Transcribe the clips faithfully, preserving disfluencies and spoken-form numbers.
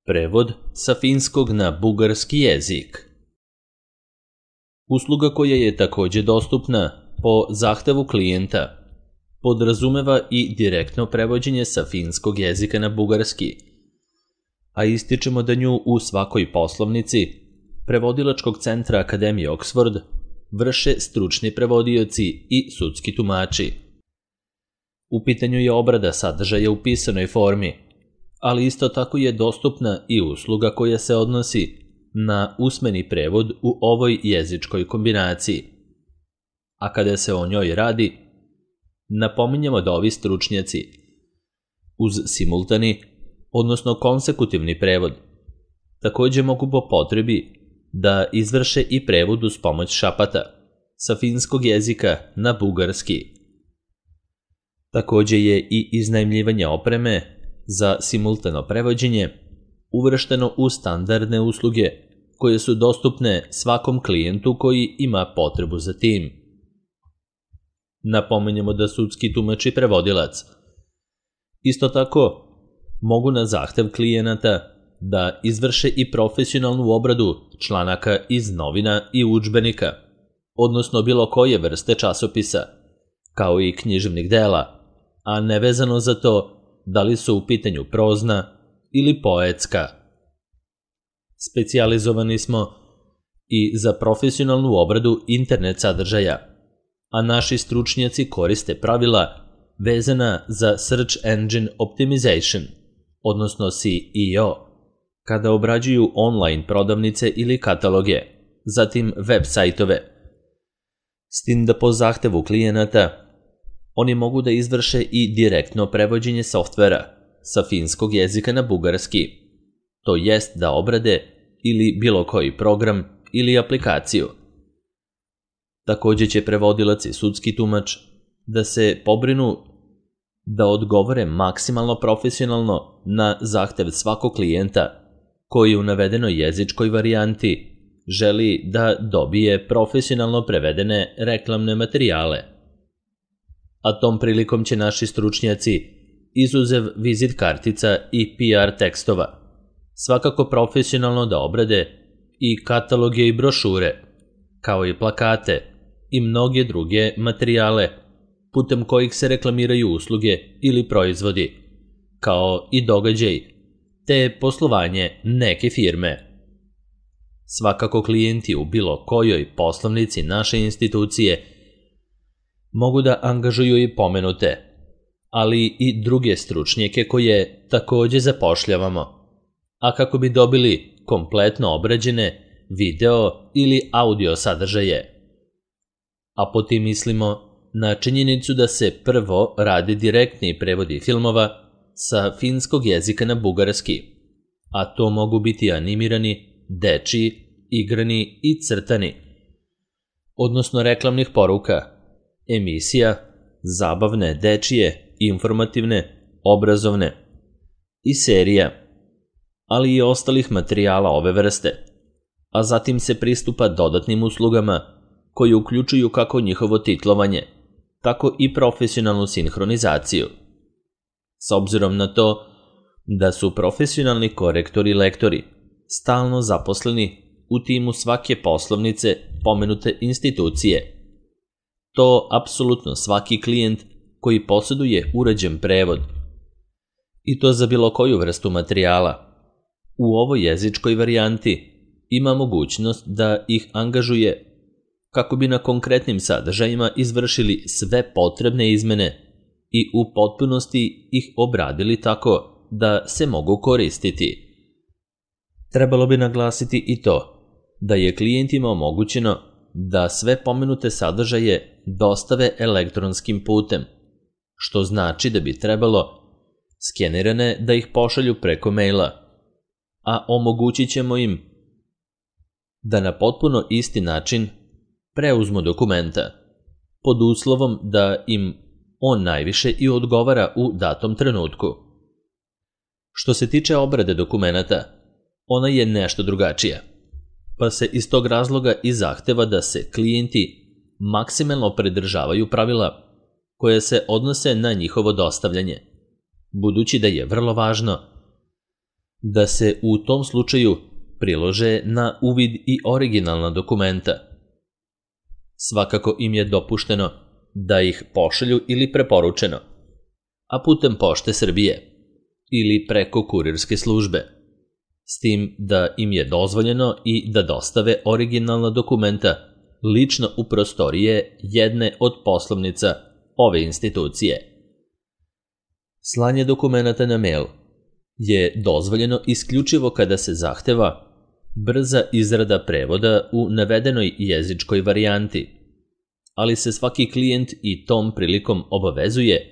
Prevod sa finskog na bugarski jezik. Usluga koja je također dostupna po zahtevu klijenta podrazumeva i direktno prevođenje sa finskog jezika na bugarski, a ističemo da nju u svakoj poslovnici prevodilačkog centra Akademije Oxford vrše stručni prevodioci i sudski tumači. U pitanju je obrada sadržaja u pisanoj formi, ali isto tako je dostupna i usluga koja se odnosi na usmeni prevod u ovoj jezičkoj kombinaciji. A kada se o njoj radi, napominjemo da ovi stručnjaci uz simultani, odnosno konsekutivni prevod, također mogu po potrebi da izvrše i prevod uz pomoć šapata sa finskog jezika na bugarski. Također je i iznajmljivanje opreme za simultano prevođenje uvršteno u standardne usluge koje su dostupne svakom klijentu koji ima potrebu za tim. Napomenjemo da sudski tumač i prevodilac isto tako mogu na zahtev klijenata da izvrše i profesionalnu obradu članaka iz novina i udžbenika, odnosno bilo koje vrste časopisa, kao i književnih dela, a nevezano za to da li su u pitanju prozna ili poetska. Specijalizovani smo i za profesionalnu obradu internet sadržaja, a naši stručnjaci koriste pravila vezana za Search Engine Optimization, odnosno S E O, kada obrađuju online prodavnice ili kataloge, zatim web sajtove. S tim da po zahtevu klijenata oni mogu da izvrše i direktno prevođenje softvera sa finskog jezika na bugarski, to jest da obrade ili bilo koji program ili aplikaciju. Također će prevodilac i sudski tumač da se pobrinu da odgovore maksimalno profesionalno na zahtev svakog klijenta koji u navedenoj jezičkoj varijanti želi da dobije profesionalno prevedene reklamne materijale. A tom prilikom će naši stručnjaci, izuzev vizit kartica i P R tekstova, svakako profesionalno da obrade i kataloge i brošure, kao i plakate i mnoge druge materijale putem kojih se reklamiraju usluge ili proizvodi, kao i događaj, te poslovanje neke firme. Svakako klijenti u bilo kojoj poslovnici naše institucije mogu da angažuju i pomenute, ali i druge stručnjake koje također zapošljavamo, a kako bi dobili kompletno obrađene video ili audio sadržaje. A po tim mislimo na činjenicu da se prvo rade direktni prevodi filmova sa finskog jezika na bugarski, a to mogu biti animirani, dečiji, igrani i crtani, odnosno reklamnih poruka, emisija, zabavne, dečije, informativne, obrazovne i serija, ali i ostalih materijala ove vrste, a zatim se pristupa dodatnim uslugama koji uključuju kako njihovo titlovanje, tako i profesionalnu sinhronizaciju. S obzirom na to da su profesionalni korektori i lektori stalno zaposleni u timu svake poslovnice pomenute institucije, to apsolutno svaki klijent koji posjeduje uređen prevod, i to za bilo koju vrstu materijala, u ovoj jezičkoj varijanti ima mogućnost da ih angažuje kako bi na konkretnim sadržajima izvršili sve potrebne izmene i u potpunosti ih obradili tako da se mogu koristiti. Trebalo bi naglasiti i to da je klijentima omogućeno da sve pomenute sadržaje dostave elektronskim putem, što znači da bi trebalo skenirane da ih pošalju preko maila, a omogućit ćemo im da na potpuno isti način preuzmu dokumenta, pod uslovom da im on najviše i odgovara u datom trenutku. Što se tiče obrade dokumenata, ona je nešto drugačija, pa se iz tog razloga i zahteva da se klijenti maksimalno pridržavaju pravila koje se odnose na njihovo dostavljanje, budući da je vrlo važno da se u tom slučaju prilože na uvid i originalna dokumenta. Svakako im je dopušteno da ih pošalju ili preporučeno, a putem Pošte Srbije ili preko kurirske službe, s tim da im je dozvoljeno i da dostave originalna dokumenta lično u prostorije jedne od poslovnica ove institucije. Slanje dokumenata na mail je dozvoljeno isključivo kada se zahteva brza izrada prevoda u navedenoj jezičkoj varijanti, ali se svaki klijent i tom prilikom obavezuje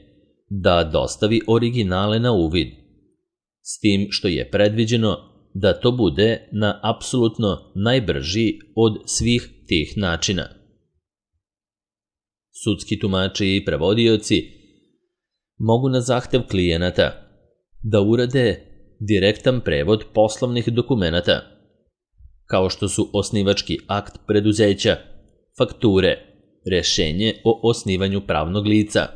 da dostavi originale na uvid, s tim što je predviđeno da to bude na apsolutno najbrži od svih tih načina. Sudski tumači i prevodioci mogu na zahtev klijenata da urade direktan prevod poslovnih dokumenata, kao što su osnivački akt preduzeća, fakture, rešenje o osnivanju pravnog lica,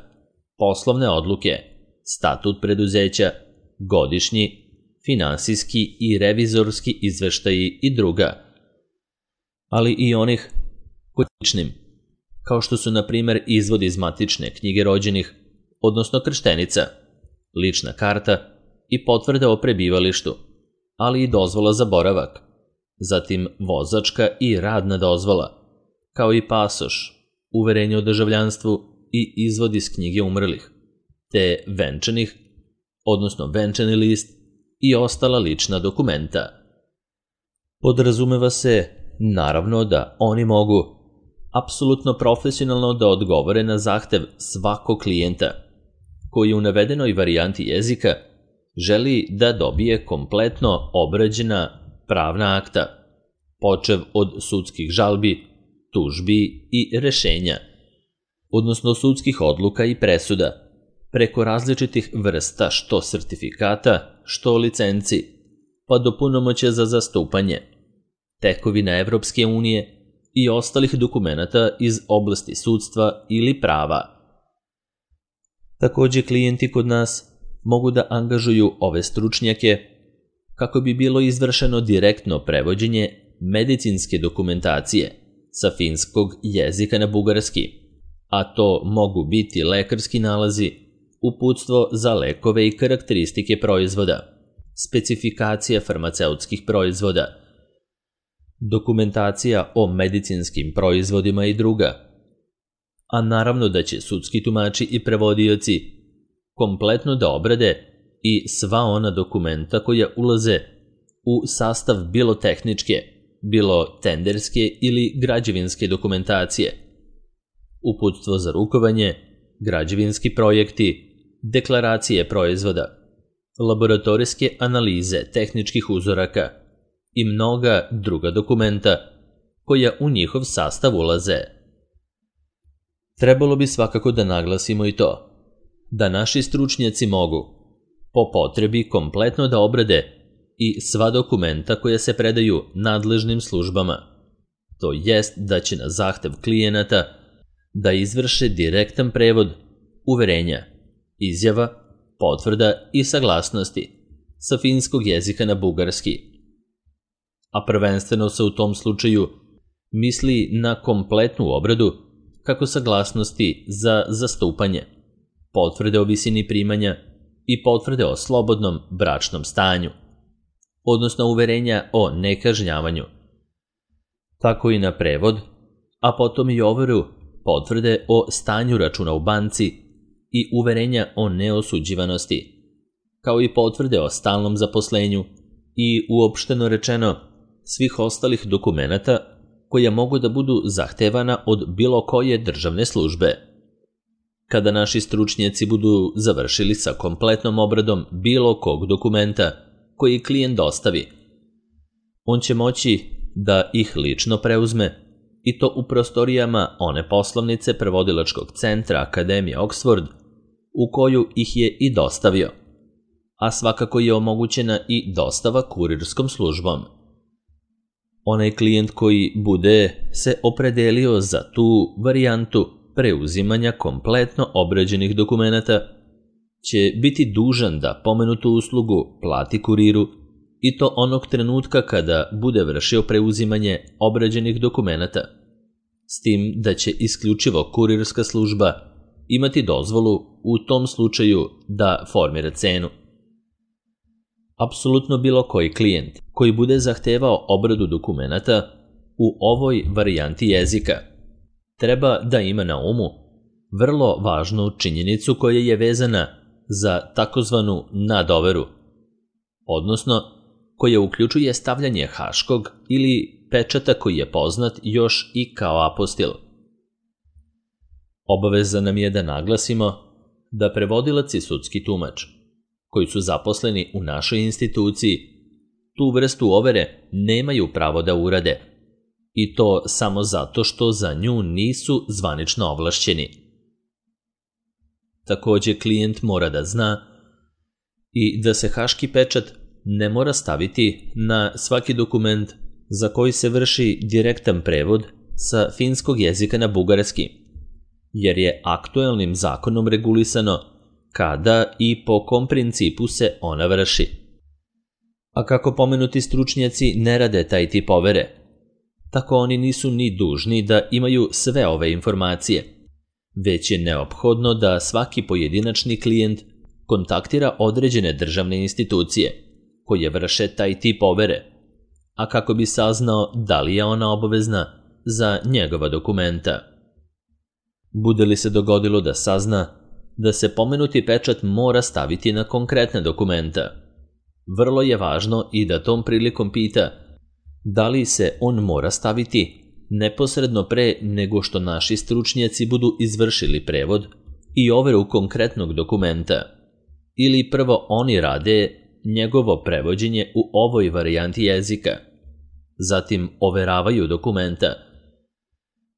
poslovne odluke, statut preduzeća, godišnji, finansijski i revizorski izveštaji i druga, ali i onih ličnim, kao što su na primjer izvod iz matične knjige rođenih, odnosno krštenica, lična karta i potvrda o prebivalištu, ali i dozvola za boravak, zatim vozačka i radna dozvola, kao i pasoš, uverenje o državljanstvu i izvod iz knjige umrlih, te venčanih, odnosno venčani list i ostala lična dokumenta. Podrazumeva se, naravno, da oni mogu apsolutno profesionalno da odgovore na zahtev svakog klijenta koji u navedenoj varijanti jezika želi da dobije kompletno obrađena pravna akta, počev od sudskih žalbi, tužbi i rešenja, odnosno sudskih odluka i presuda, preko različitih vrsta što sertifikata, što licenci, pa do punomoćja za zastupanje, tekovina Evropske unije i ostalih dokumenata iz oblasti sudstva ili prava. Takođe, klijenti kod nas mogu da angažuju ove stručnjake kako bi bilo izvršeno direktno prevođenje medicinske dokumentacije sa finskog jezika na bugarski, a to mogu biti lekarski nalazi, uputstvo za lekove i karakteristike proizvoda, specifikacija farmaceutskih proizvoda, dokumentacija o medicinskim proizvodima i druga. A naravno da će sudski tumači i prevodioci kompletno da obrade i sva ona dokumenta koja ulaze u sastav bilo tehničke, bilo tenderske ili građevinske dokumentacije, uputstvo za rukovanje, građevinski projekti, deklaracije proizvoda, laboratorijske analize tehničkih uzoraka i mnoga druga dokumenta koja u njihov sastav ulaze. Trebalo bi svakako da naglasimo i to, da naši stručnjaci mogu, po potrebi, kompletno da obrade i sva dokumenta koja se predaju nadležnim službama, to jest da će na zahtev klijenata da izvrše direktan prevod uverenja, izjava, potvrda i saglasnosti sa finskog jezika na bugarski. A prvenstveno se u tom slučaju misli na kompletnu obradu kako saglasnosti za zastupanje, potvrde o visini primanja i potvrde o slobodnom bračnom stanju, odnosno uverenja o nekažnjavanju, tako i na prevod, a potom i overu potvrde o stanju računa u banci i uverenja o neosuđivanosti, kao i potvrde o stalnom zaposlenju i, uopšteno rečeno, svih ostalih dokumenata koja mogu da budu zahtevana od bilo koje državne službe. Kada naši stručnjaci budu završili sa kompletnom obradom bilo kog dokumenta koji klijent dostavi, on će moći da ih lično preuzme i to u prostorijama one poslovnice prevodilačkog centra Akademije Oxford u koju ih je i dostavio, a svakako je omogućena i dostava kurirskom službom. Onaj klijent koji bude se opredelio za tu varijantu preuzimanja kompletno obrađenih dokumenata će biti dužan da pomenutu uslugu plati kuriru i to onog trenutka kada bude vršio preuzimanje obrađenih dokumenata, s tim da će isključivo kurirska služba imati dozvolu u tom slučaju da formira cenu. Apsolutno bilo koji klijent koji bude zahtevao obradu dokumenata u ovoj varijanti jezika treba da ima na umu vrlo važnu činjenicu koja je vezana za takozvanu nadoveru, odnosno koja uključuje stavljanje haškog ili pečata koji je poznat još i kao apostil. Obaveza nam je da naglasimo da prevodilac i sudski tumač, koji su zaposleni u našoj instituciji, tu vrstu overe nemaju pravo da urade, i to samo zato što za nju nisu zvanično ovlašćeni. Također klijent mora da zna i da se haški pečat ne mora staviti na svaki dokument za koji se vrši direktan prevod sa finskog jezika na bugarski, jer je aktuelnim zakonom regulisano kada i po kom principu se ona vrši. A kako pomenuti stručnjaci ne rade taj tip overe, tako oni nisu ni dužni da imaju sve ove informacije, već je neophodno da svaki pojedinačni klijent kontaktira određene državne institucije koje vrše taj tip overe, a kako bi saznao da li je ona obavezna za njegova dokumenta. Bude li se dogodilo da sazna da se pomenuti pečat mora staviti na konkretne dokumenta, vrlo je važno i da tom prilikom pita da li se on mora staviti neposredno pre nego što naši stručnjaci budu izvršili prevod i overu konkretnog dokumenta, ili prvo oni rade njegovo prevođenje u ovoj varijanti jezika, zatim overavaju dokumenta,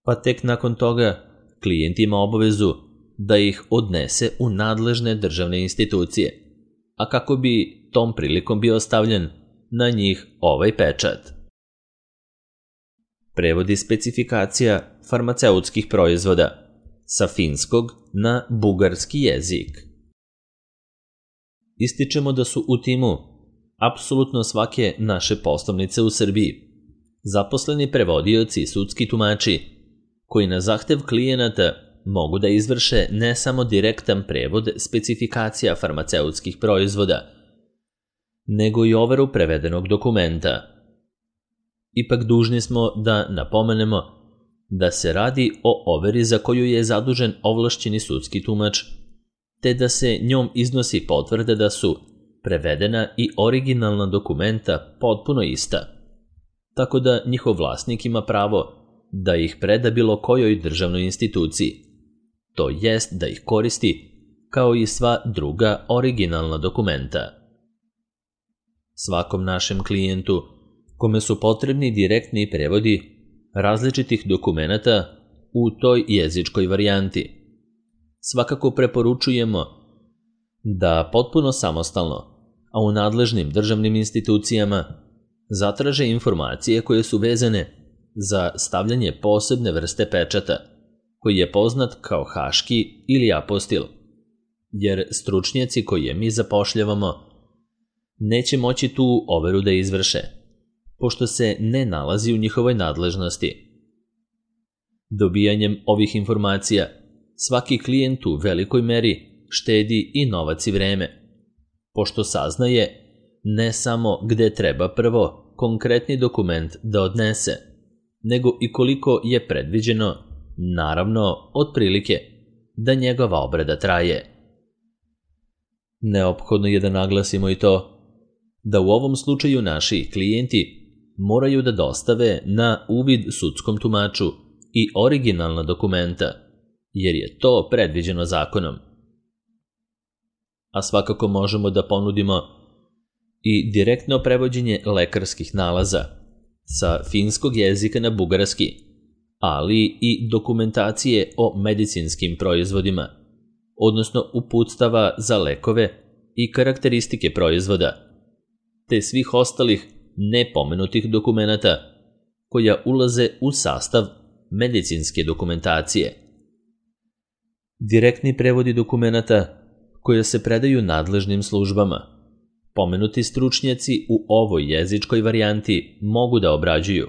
pa tek nakon toga klijent ima obavezu da ih odnese u nadležne državne institucije, a kako bi tom prilikom bio stavljen na njih ovaj pečat. Prevodi specifikacija farmaceutskih proizvoda sa finskog na bugarski jezik. Ističemo da su u timu apsolutno svake naše poslovnice u Srbiji zaposleni prevodioci i sudski tumači koji na zahtev klijenata mogu da izvrše ne samo direktan prevod specifikacija farmaceutskih proizvoda, nego i overu prevedenog dokumenta. Ipak dužni smo da napomenemo da se radi o overi za koju je zadužen ovlašćeni sudski tumač, te da se njom iznosi potvrda da su prevedena i originalna dokumenta potpuno ista, tako da njihov vlasnik ima pravo da ih preda bilo kojoj državnoj instituciji, to jest da ih koristi kao i sva druga originalna dokumenta. Svakom našem klijentu kome su potrebni direktni prevodi različitih dokumenata u toj jezičkoj varijanti, svakako preporučujemo da potpuno samostalno, a u nadležnim državnim institucijama, zatraže informacije koje su vezane za stavljanje posebne vrste pečata, koji je poznat kao haški ili apostil, jer stručnjaci koje mi zapošljavamo neće moći tu overu da izvrše, pošto se ne nalazi u njihovoj nadležnosti. Dobijanjem ovih informacija svaki klijent u velikoj meri štedi i novac i vreme, pošto saznaje ne samo gde treba prvo konkretni dokument da odnese, nego i koliko je predviđeno, naravno otprilike, da njegova obrada traje. Neophodno je da naglasimo i to da u ovom slučaju naši klijenti moraju da dostave na uvid sudskom tumaču i originalna dokumenta, jer je to predviđeno zakonom. A svakako možemo da ponudimo i direktno prevođenje lekarskih nalaza sa finskog jezika na bugarski, ali i dokumentacije o medicinskim proizvodima, odnosno uputstava za lekove i karakteristike proizvoda, te svih ostalih nepomenutih dokumenata koja ulaze u sastav medicinske dokumentacije. Direktni prevodi dokumenata koje se predaju nadležnim službama pomenuti stručnjaci u ovoj jezičkoj varijanti mogu da obrađuju,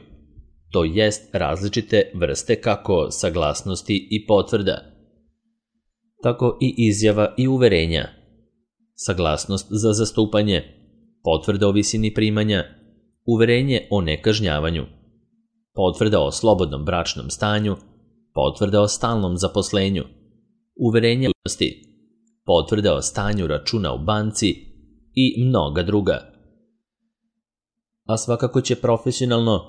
to jest različite vrste kako saglasnosti i potvrda, tako i izjava i uverenja, saglasnost za zastupanje, potvrda o visini primanja, uverenje o nekažnjavanju, potvrda o slobodnom bračnom stanju, potvrda o stalnom zaposlenju, uverenje o ličnosti, potvrda o stanju računa u banci i mnoga druga. A svakako će profesionalno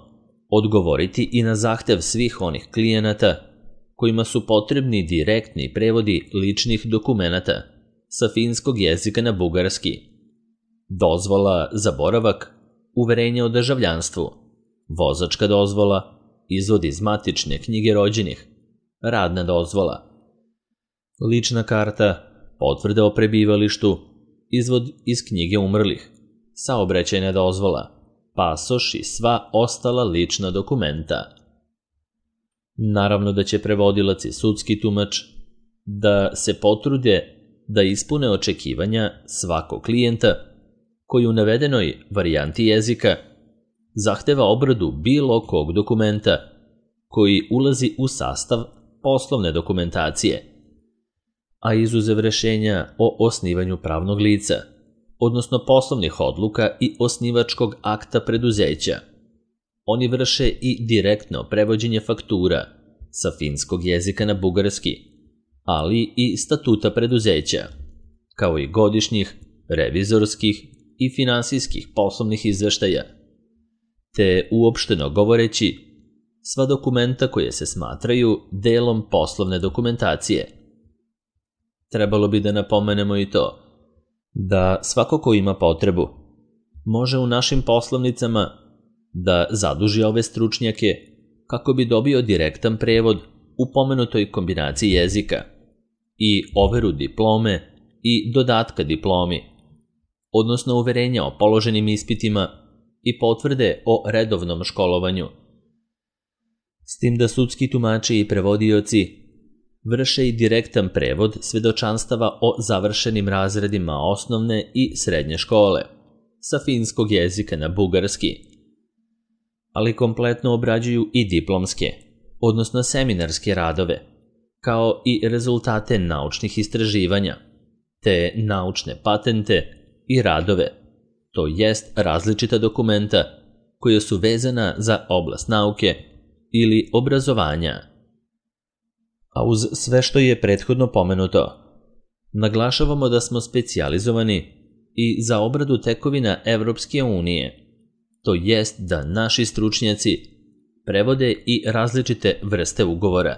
odgovoriti i na zahtev svih onih klijenata kojima su potrebni direktni prevodi ličnih dokumenata sa finskog jezika na bugarski, dozvola za boravak, uverenje o državljanstvu, vozačka dozvola, izvod iz matične knjige rođenih, radna dozvola, lična karta, potvrda o prebivalištu, izvod iz knjige umrlih, saobraćajna dozvola, pasoš i sva ostala lična dokumenta. Naravno da će prevodilac i sudski tumač da se potrude da ispune očekivanja svakog klijenta koji u navedenoj varijanti jezika zahteva obradu bilo kog dokumenta koji ulazi u sastav poslovne dokumentacije, a izuzev rešenja o osnivanju pravnog lica, odnosno poslovnih odluka i osnivačkog akta preduzeća. Oni vrše i direktno prevođenje faktura sa finskog jezika na bugarski, ali i statuta preduzeća, kao i godišnjih, revizorskih i finansijskih poslovnih izveštaja, te uopšteno govoreći sva dokumenta koje se smatraju delom poslovne dokumentacije. Trebalo bi da napomenemo i to da svako ko ima potrebu može u našim poslovnicama da zaduži ove stručnjake kako bi dobio direktan prevod u pomenutoj kombinaciji jezika i overu diplome i dodatka diplomi, odnosno uverenja o položenim ispitima i potvrde o redovnom školovanju. S tim da sudski tumači i prevodioci vrše i direktan prevod svedočanstava o završenim razredima osnovne i srednje škole sa finskog jezika na bugarski, ali kompletno obrađuju i diplomske, odnosno seminarske radove, kao i rezultate naučnih istraživanja, te naučne patente i radove, to jest različita dokumenta koja su vezana za oblast nauke ili obrazovanja. A uz sve što je prethodno pomenuto, naglašavamo da smo specijalizovani i za obradu tekovina Evropske unije, to jest da naši stručnjaci prevode i različite vrste ugovora,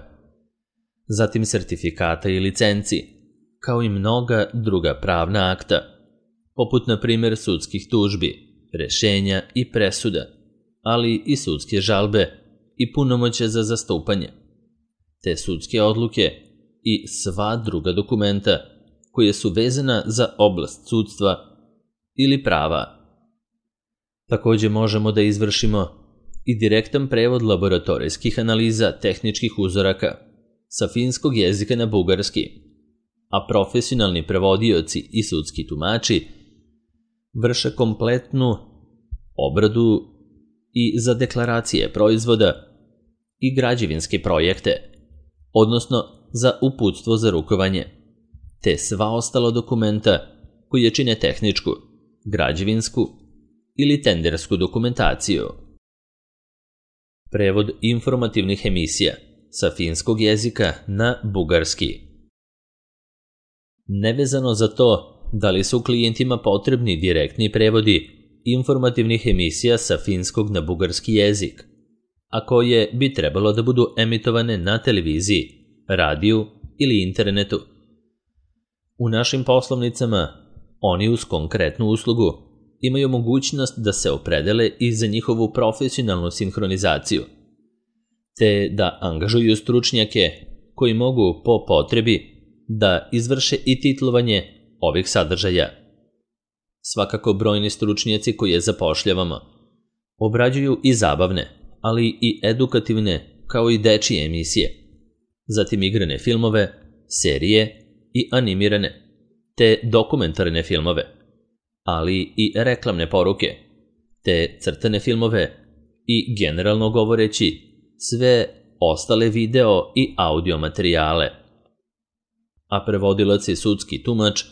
zatim sertifikata i licenci, kao i mnoga druga pravna akta, poput na primjer sudskih tužbi, rešenja i presuda, ali i sudske žalbe i punomoćja za zastupanje, te sudske odluke i sva druga dokumenta koje su vezana za oblast sudstva ili prava. Takođe možemo da izvršimo i direktan prevod laboratorijskih analiza tehničkih uzoraka sa finskog jezika na bugarski, a profesionalni prevodioci i sudski tumači vrše kompletnu obradu i za deklaracije proizvoda i građevinske projekte, odnosno za uputstvo za rukovanje, te sva ostala dokumenta koje čine tehničku, građevinsku ili tendersku dokumentaciju. Prevod informativnih emisija sa finskog jezika na bugarski. Nevezano za to da li su klijentima potrebni direktni prevodi informativnih emisija sa finskog na bugarski jezik, a koje bi trebalo da budu emitovane na televiziji, radiju ili internetu. U našim poslovnicama oni uz konkretnu uslugu imaju mogućnost da se opredele i za njihovu profesionalnu sinhronizaciju, te da angažuju stručnjake koji mogu po potrebi da izvrše i titlovanje ovih sadržaja. Svakako brojni stručnjaci koje zapošljavamo obrađuju i zabavne, ali i edukativne kao i dečije emisije, zatim igrane filmove, serije i animirane, te dokumentarne filmove, ali i reklamne poruke, te crtane filmove i, generalno govoreći, sve ostale video i audio materijale. A prevodilac i sudski tumač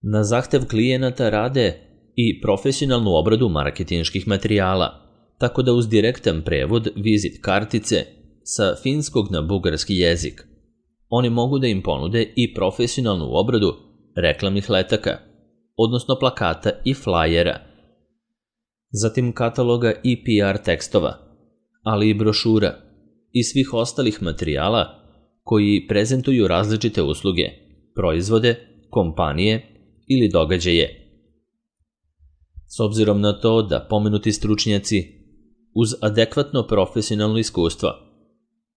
na zahtev klijenata rade i profesionalnu obradu marketinških materijala, tako da uz direktan prevod vizit kartice sa finskog na bugarski jezik oni mogu da im ponude i profesionalnu obradu reklamnih letaka, odnosno plakata i flajera, zatim kataloga i P R tekstova, ali i brošura i svih ostalih materijala koji prezentuju različite usluge, proizvode, kompanije ili događaje. S obzirom na to da pomenuti stručnjaci uz adekvatno profesionalno iskustvo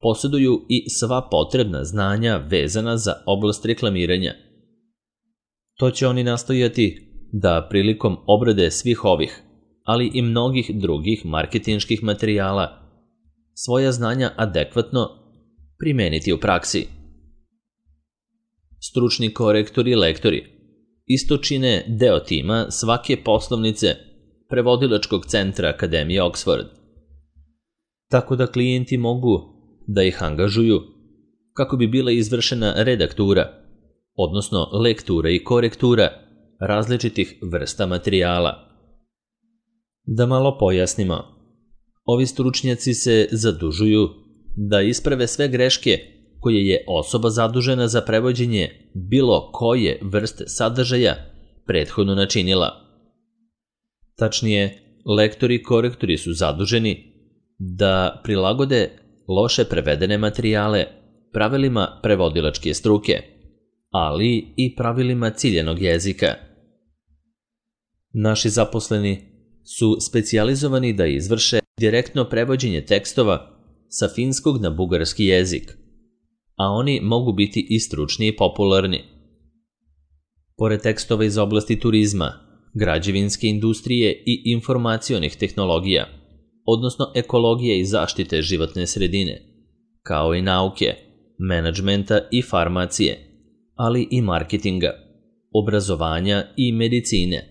posjeduju i sva potrebna znanja vezana za oblast reklamiranja, to će oni nastojati da prilikom obrade svih ovih, ali i mnogih drugih marketinških materijala, svoja znanja adekvatno primeniti u praksi. Stručni korektori i lektori isto čine deo tima svake poslovnice prevodilačkog centra Akademije Oxford, tako da klijenti mogu da ih angažuju kako bi bila izvršena redaktura, odnosno lektura i korektura različitih vrsta materijala. Da malo pojasnimo, ovi stručnjaci se zadužuju da isprave sve greške koje je osoba zadužena za prevođenje bilo koje vrste sadržaja prethodno načinila. Tačnije, lektori i korektori su zaduženi da prilagode loše prevedene materijale pravilima prevodilačke struke, ali i pravilima ciljenog jezika. Naši zaposleni su specijalizovani da izvrše direktno prevođenje tekstova sa finskog na bugarski jezik, a oni mogu biti i stručni i popularni. Pored tekstova iz oblasti turizma, građevinske industrije i informacionih tehnologija, odnosno ekologije i zaštite životne sredine, kao i nauke, menadžmenta i farmacije, ali i marketinga, obrazovanja i medicine,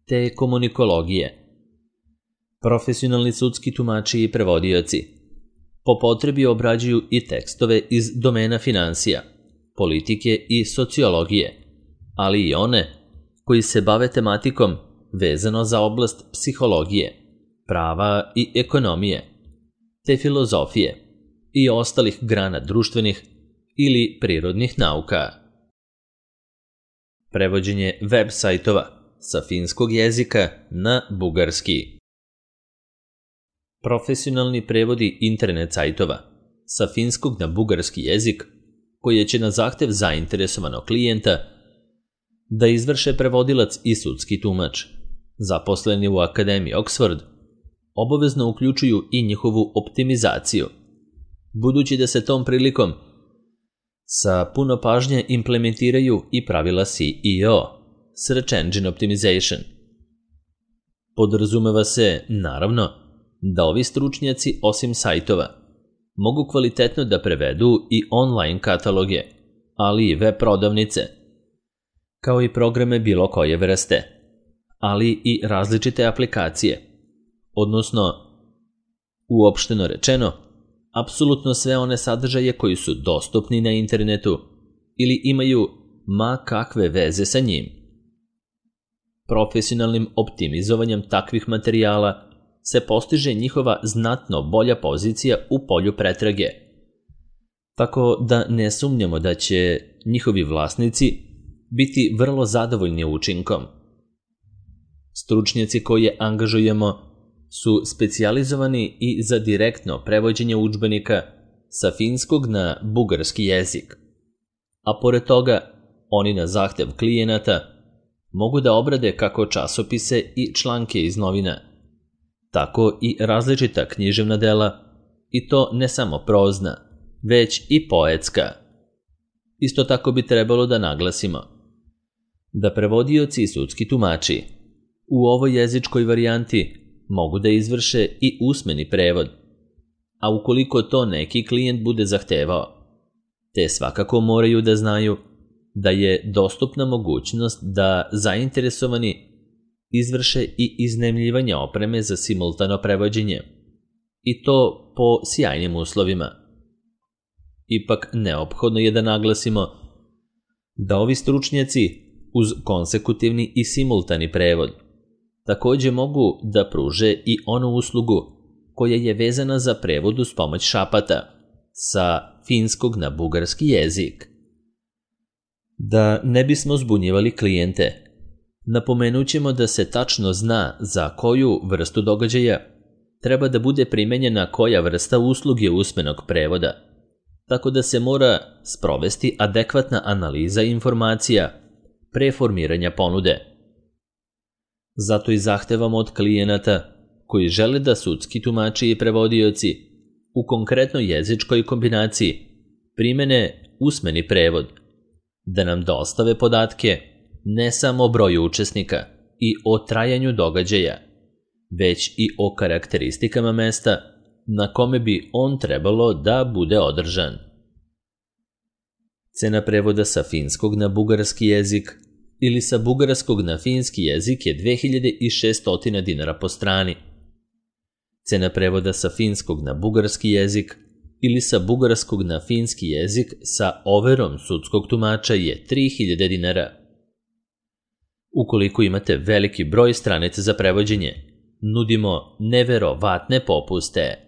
te komunikologije. Profesionalni sudski tumači i prevodioci po potrebi obrađuju i tekstove iz domena finansija, politike i sociologije, ali i one koji se bave tematikom vezano za oblast psihologije, prava i ekonomije, te filozofije i ostalih grana društvenih ili prirodnih nauka. Prevođenje web sajtova sa finskog jezika na bugarski. Profesionalni prevodi internet sajtova sa finskog na bugarski jezik koje će na zahtev zainteresovanog klijenta da izvrše prevodilac i sudski tumač, zaposleni u Akademiji Oxford, obavezno uključuju i njihovu optimizaciju, budući da se tom prilikom sa puno pažnje implementiraju i pravila S E O, Search Engine Optimization. Podrazumeva se, naravno, da ovi stručnjaci osim sajtova mogu kvalitetno da prevedu i online kataloge, ali i web prodavnice, kao i programe bilo koje vrste, ali i različite aplikacije, odnosno, uopšteno rečeno, apsolutno sve one sadržaje koji su dostupni na internetu ili imaju ma kakve veze sa njim. Profesionalnim optimizovanjem takvih materijala se postiže njihova znatno bolja pozicija u polju pretrage, tako da ne sumnjamo da će njihovi vlasnici biti vrlo zadovoljni učinkom. Stručnjaci koje angažujemo su specijalizovani i za direktno prevođenje udžbenika sa finskog na bugarski jezik, a pored toga oni na zahtev klijenata mogu da obrade kako časopise i članke iz novina, tako i različita književna dela, i to ne samo prozna, već i poetska. Isto tako bi trebalo da naglasimo da prevodioci i sudski tumači u ovoj jezičkoj varijanti mogu da izvrše i usmeni prevod, a ukoliko to neki klijent bude zahtevao, te svakako moraju da znaju da je dostupna mogućnost da zainteresovani izvrše i iznajmljivanje opreme za simultano prevođenje, i to po sjajnim uslovima. Ipak neophodno je da naglasimo da ovi stručnjaci uz konsekutivni i simultani prevod takođe mogu da pruže i onu uslugu koja je vezana za prevod uz pomoć šapata sa finskog na bugarski jezik. Da ne bismo zbunjivali klijente, napomenut ćemo da se tačno zna za koju vrstu događaja treba da bude primenjena koja vrsta usluge usmenog prevoda, tako da se mora sprovesti adekvatna analiza informacija pre formiranja ponude. Zato i zahtevamo od klijenata koji žele da sudski tumači i prevodioci u konkretnoj jezičkoj kombinaciji primene usmeni prevod, da nam dostave podatke ne samo o broju učesnika i o trajanju događaja, već i o karakteristikama mesta na kome bi on trebalo da bude održan. Cena prevoda sa finskog na bugarski jezik ili sa bugarskog na finski jezik je dve hiljade šesto dinara po strani. Cena prevoda sa finskog na bugarski jezik ili sa bugarskog na finski jezik sa overom sudskog tumača je tri hiljade dinara. Ukoliko imate veliki broj stranica za prevođenje, nudimo neverovatne popuste.